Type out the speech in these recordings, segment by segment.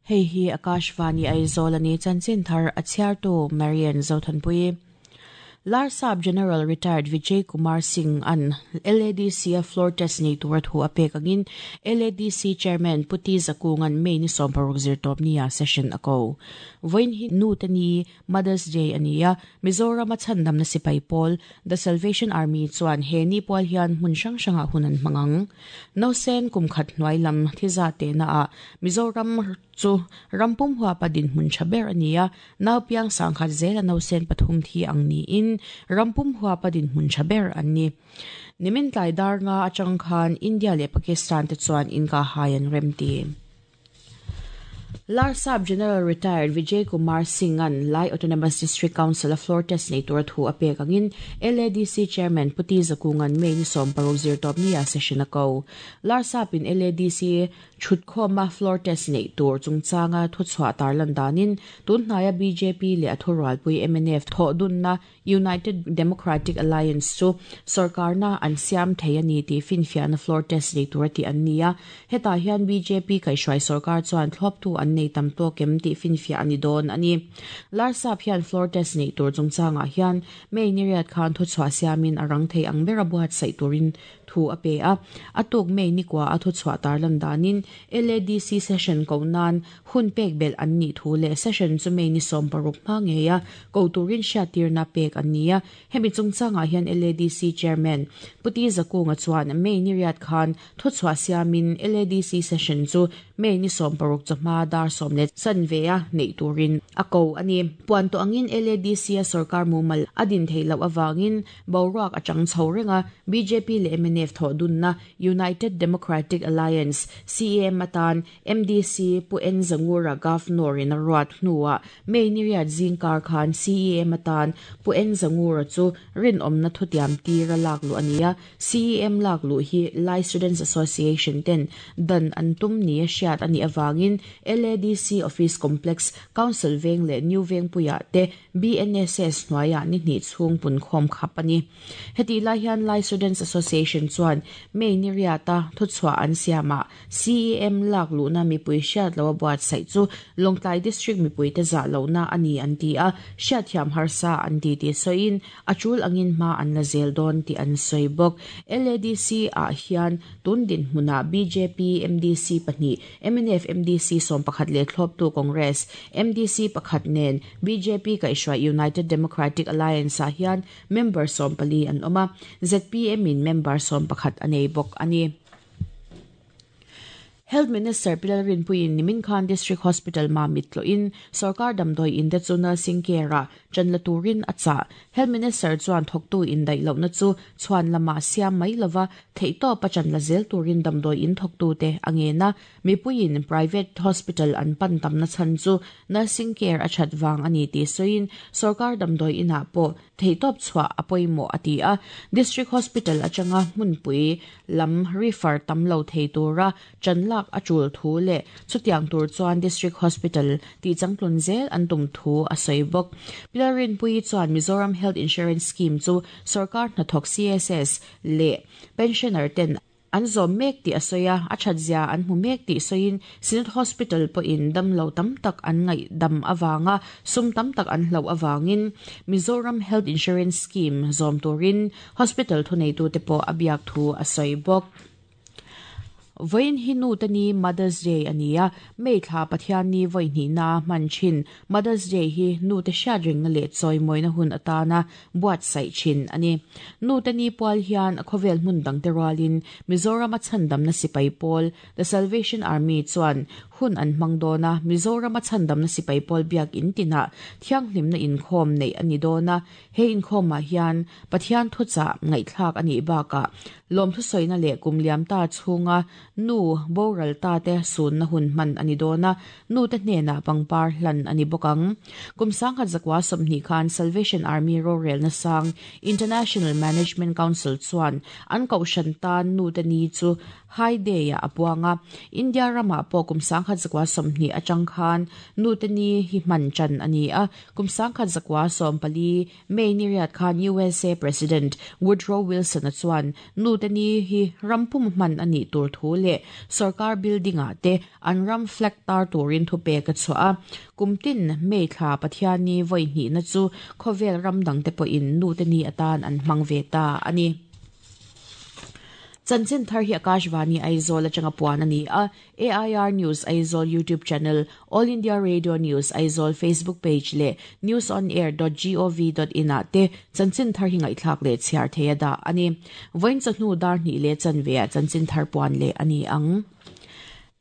Hei hi Akashvani Aizawl a ni, chanchin thar a chhiartu Marian Zothanpui. Larsap General Retired Vijay Kumar Singh an LADC a floor test nei tura thu a pek angin LADC Chairman Pu T Zakunga'n May ni 16 zirtawpnia session a ko. Vawiin hi Nu te ni, Mother's Day, a ni a, Mizorama chhandamna sipai pawl, The Salvation Army chuan he ni pual hian hmun hrang hrangah hun an hmang ang. Nausen kum khat hnuai lam thiza tehnaah Mizoram chu ram pum huapa dinhmun tha ber a ni a, nau piang sangkhat zela nausen pathum thi ang niin ram pum huapa dinhmun tha ber an ni. Nimin tlai dar nga atang khan India leh Pakistan te chuan inkahhai an remti. Larsap General Retired Vijay Kumar Singh-a'n Lai Autonomous District Council-a floor test nei tura thu a pek angin LADC Chairman Pu T Zakunga'n May ni 16 zirtawpnia session a ko. Larsap-in LADC Thutkhawma floor test neih tur chungchanga thuchhuah tarlan danin tunhnaia bjp leh a thurualpui mnf thawhdunna United Democratic Alliance chu sorkarna an siam thei a ni tih finfiahna floor test nei tura tih an ni a. Hetah hian bjp kaihhruai sorkar chuan thlawptu an nei tam tawk em tih finfiah a ni dawn a ni. Larsap hian floor test neih tur chungchangah hian May ni riat khan thuchhuah siamin a rang thei ang bera buatsaih turin thu a pe a. A tuk May nikua a thuchhuah tarlan danin LADC session ko nan hun pek belh an nih thu leh session chu May ni 16 hma ngei a ko turin hriattirna pek an ni a. Hemi chungchangah hian LADC Chairman Pu T Zakunga chuan May ni riat khan thuchhuah siamin LADC session chu May ni 16 chawhma dar sawm leh chanve a neih turin a ko a ni. Puan tawh angin LADC a sorkar mumal a din theih loh avangin Boruak a chang chho reng a, bjp leh mnf thawh dunna United Democratic Alliance, CAM, atan MDC Pu N Zangura Governor in a ruat hnuah May ni riat zingkar khan CEM atan Pu N Zangura chu rinawmna thutiam tir a lak luh a ni a, CEM lak luh hi Lai Students Association ten dan an tum ni a hriat a nih avangin LADC Office Complex, Council Veng leh New Vengpuiah te BNSS hnuaiah ni hnih chhung punkhawm khap a ni. Hetih lai hian Lai Students Association chuan May ni riata thuchhuah an siamah CEM lak luhna mipui hriat loa buatsaih chu Lawngtlai District mipuite zah lohna a ni an ti a, hriatthiam harsa an ti tih sawiin a tul angin hma an la zel dawn tih an sawi bawk. LADC ah hian tun dinhmunah bjp MDC pahnih, mnf MDC 11 leh thlawptu Congress MDC pakhat nen bjp kaihhruai United Democratic Alliance ah hian member 14 an awm a, zpm in member 11 a nei bawk a ni. Health Minister Pi Lalrinpuiin nimin khan District Hospital Mamit tlawhin sorkar damdawi in te chu nursing care ah ṭan la turin a chah. Health Minister chuan thawktu indaih lohna chu chhuan lamah siam mai lova theihtawp a ṭan la zel turin damdawi in thawktute a ngen a. Mipuiin private hospital an pan tamna chhan chu nursing care a ṭhat vang a ni tih sawiin sorkar damdawi inah pawh theihtawp chhuah a pawimawh a ti a. District Hospital atanga hmunpui lam refer tam lo thei tura ṭan lak a ṭul thu leh chutiang tur chuan District Hospital tihchangtlun zel an tum thu a sawi bawk. Pi Lalrinpuii chuan Mizoram Health Insurance Scheme chu sorkar hnathawk CSS leh pensioner ten an zawm mek tih a sawi a, a thatzia an hmu mek tih sawiin Synod Hospital pawhin damlo tam tak an ngaihdam avanga sum tam tak an hloh avangin Mizoram Health Insurance Scheme zawm turin Hospital thuneitute pawh a biak thu a sawi bawk. Vawiin hi nute ni Mother's Day a ni a, May thla Pathianni vawi hnihna hman thin Mother's Day hi nute hriat ringna leh chawimawina hun atana buatsaih thin a ni. Nute ni pual hian khawvel hmun dangte rualin Mizorama chhandamna sipai pawl The Salvation Army chuan hun an hmang dawn a, Mizorama chhandamna sipai pawl biak in tinah thianghlimna inkhawm neih a ni dawn a, he inkhawmah hian Pathian thuchah ngaihthlak a nih bakah lawmthusawina leh kum liam ta chhunga nu boral ta te sunna hun hman a ni dawn a, nute hnenah pangpar hlan a ni bawk ang. Kum 1920 khan Salvation Army rorelna sang International Management Council chuan an kohhran tan nute ni chu High Day-ah a puang a. India ramah pawh kum 1920 atang khan nute ni hi hman tan a ni a. Kum 1914 May ni riat khan USA President Woodrow Wilson-a chuan nute ni hi ram pum hman a nih tur thu leh leh sorkar building ah te an ram flag tar turin thupek a chhuah a. Kum tin May thla Pathianni vawi hnihna chu khawvel ram dangte pawhin nute ni atan an hmang ve ta a ni. Chanchin thar hi Akashvani Aizawl atanga puan a ni a, AIR News Aizawl YouTube channel, All India Radio News Aizawl Facebook page leh newsonair.gov.in ah te chanchin thar hi ngaihthlak leh chhiar thei a dah a ni. Vawiin chawhnu dar hnih leh chanve ah chanchin thar puan leh a ni ang.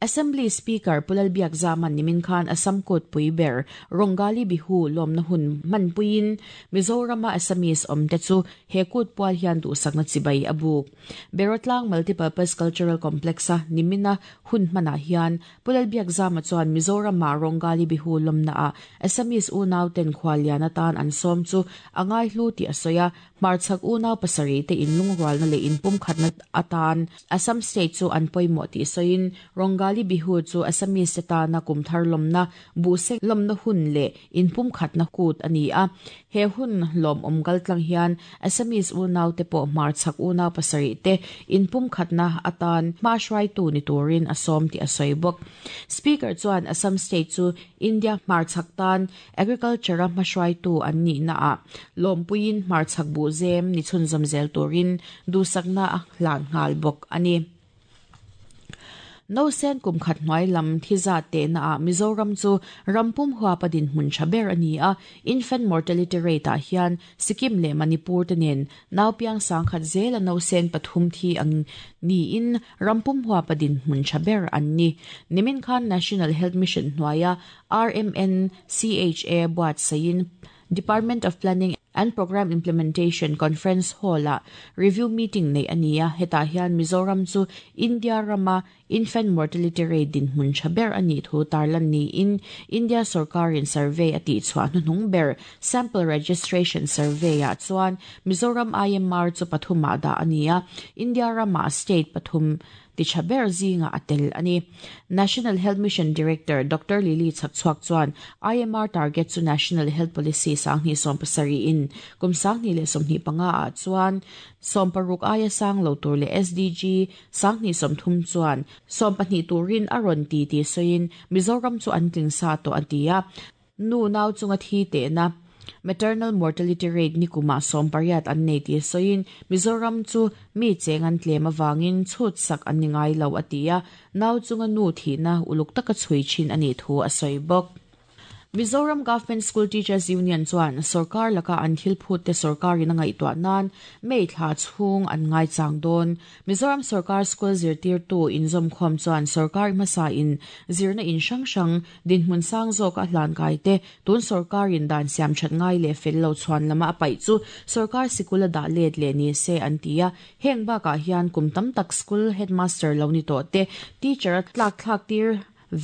Assembly Speaker Pu Lalbiakzama'n nimin khan Assam kutpui ber Rongali Bihu lawmna hun hmanpuiin Mizorama Assamese awmte chu he kut pual hian duhsakna chibai a buk. Berawtlang Multipurpose Cultural Complex-a nimina hun hmanah hian Pu Lalbiakzama chuan Mizorama Rongali Bihu lawmnaah Assamese unauten khuallian atan an sawm chu a ngaihlu tih a sawi a, Hmarchhak unau pasarih te inlungrualna leh inpumkhatna atan Assam state chu an pawimawh tih sawiin Rongali Bihu chu Assamese te tana kum thar lawmna, buhsek lawmna hun leh inpumkhatna kut a ni a. He hun lawmawm kaltlang hian Assamese unau te pawh hmarchhak unau pasarih te inpumkhatna atan hma hruaitu ni turin a sawm tih a sawi bawk. Speaker chuan Assam state chu India hmarchhak tan Agriculture-a hmahruaitu an nihnaah lawmpuiin hmarchhak buhzem ni chhunzawm zel turin duhsakna a hlan nghal bawk a ni. Nausen kum khat hnuai lam thi zat tehnaah Mizoram chu ram pum huapa dinhmun tha ber a ni a, infant mortality rate-ah hian Sikkim leh Manipur te nen naupiang sangkhat zela nausen pathum thi ang niin ram pum huapa dinhmun tha ber an ni. Nimin khan National Health Mission hnuaia RMNCHA buatsaihin Department of Planning and Programme Implementation Conference Hall-ah review meeting neih a ni a, hetah hian Mizoram chu India rama infant mortality rate dinhmun tha ber a nih thu tarlan niin India sorkarin survey a tihchhuah hnuhnung ber Sample Registration Survey-ah chuan Mizoram IMR chu pathumah dah a ni a, India rama state pathum Ti tha ber zingah a tel a ni. National Health Mission Director Doctor Lily Chhakchhuak chuan IMR target chu National Health Policy 2017 in kum 2025 ah chuan 60 aia sang lo tur leh SDG 2030 chuan 12 turin a rawn ti tih sawiin Mizoram chu an tling sa tawh a ti a. Nu nau chunga thi tehna, maternal mortality rate, nikumah 80 an nei tih sawiin Mizoram chu mi cheng an tlem avangin chhut sak an ni ngai lo a ti a, nau chunga nu thihna uluk taka chhui thin a nih thu a sawi bawk. Mizoram Government School Teachers Union chuan sorkar laka an thil phut te sorkarin a ngaihtuah nan May thla chhung an ngaichang dawn. Mizoram sorkar school zirtirtu inzawmkhawm chuan sorkar hmasa in zirna in hrang hrang Dinhmun sang zawka a hlankai te, tun sorkarin dan siam that ngai leh fel lo chhuan lama a paih chu sorkar sikul a dah let leh ni se an ti a. Heng bakah hian kum tam tak school headmaster lo ni tawh te, teacher a tlak thlak tir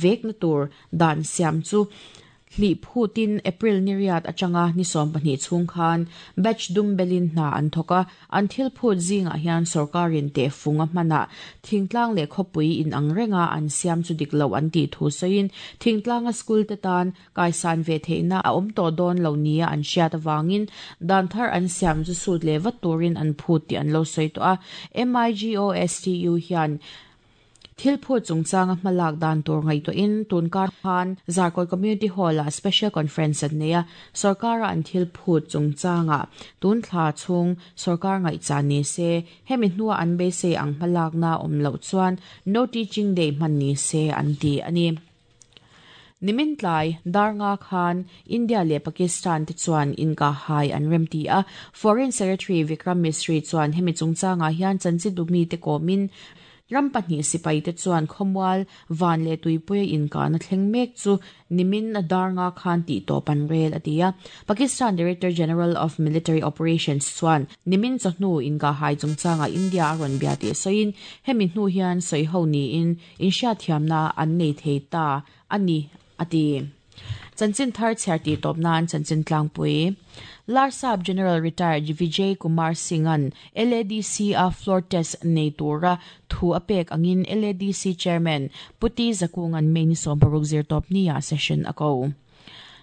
vekna tur dan siam chu hlih phutin April ni riat atanga ni 12 chhung khan batch dum belin hna an thawk a. An thil phut zingah hian sorkarin tehfung a hmanah thingtlang leh khawpui inang renga an siam chu dik loh an tih thu sawiin thingtlanga school te tan kaisan ve theihna a awm tawh dawn lo nia an hriat avangin dan thar an siam chu sut leh vat turin an phut tih an lo sawi tawh a. MIGOSTU hian Thil phut chungchanga hmalak dan tur ngaihtuahin tunkar khan Zarkawi Community Hall-ah Special Conference an nei a, sorkara an thil phut chungchanga tun thla chhung sorkar ngaihchan ni se, hemi hnua an beisei ang hmalakna awm loh chuan No Teaching Day hman ni se an ti a ni. Nimin tlai, dar nga khan India leh Pakistan te chuan inkahhai an remti a, Foreign Secretary Vikram Misri chuan hemi chungchangah hian chanchinbu mite kawmin ram pahnih sipai te chuan khawmual, van leh tuipuia inkahna thleng mek chu nimin a dar nga khan tihtawp an rel a ti a. Pakistan Director General of Military Operations chuan nimin chawhnu inkahhai chungchangah India a rawn bia tih sawiin hemi hnu hian sawiho niin Inhriatthiamna an nei thei ta a ni, a ti. Chanchin thar chhiar tih tawp nan chanchin tlangpui. Larsap General Retired Vijay Kumar Singh-a'n LADC-a floor test nei tura thu a pek angin LADC Chairman Pu T Zakunga'n May ni 16 zirtawp nia session a ko.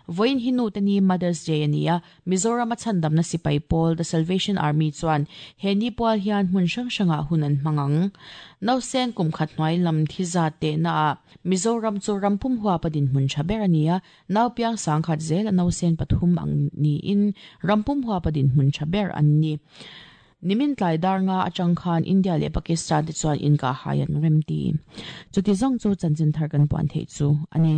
Vawiin hi nu te ni Mother's Day a ni a, Mizoram a chhandamna sipai pawl The Salvation Army chuan he ni pual hian hmun hrang hrangah hun an hmang ang. Nausen kum khat hnuai lam thi zat tehna ah Mizoram chu ram pum huap a dinhmun tha ber a ni a, nau piang sangkhat zel a nausen pathum ang niin ram pum huap a dinhmun tha ber an ni. Nimin tlai dar nga atang khan India leh Pakistan te chuan inkahhai an rem ti. Chuti zawng chu chanchin thar kan puan theih chu a ni.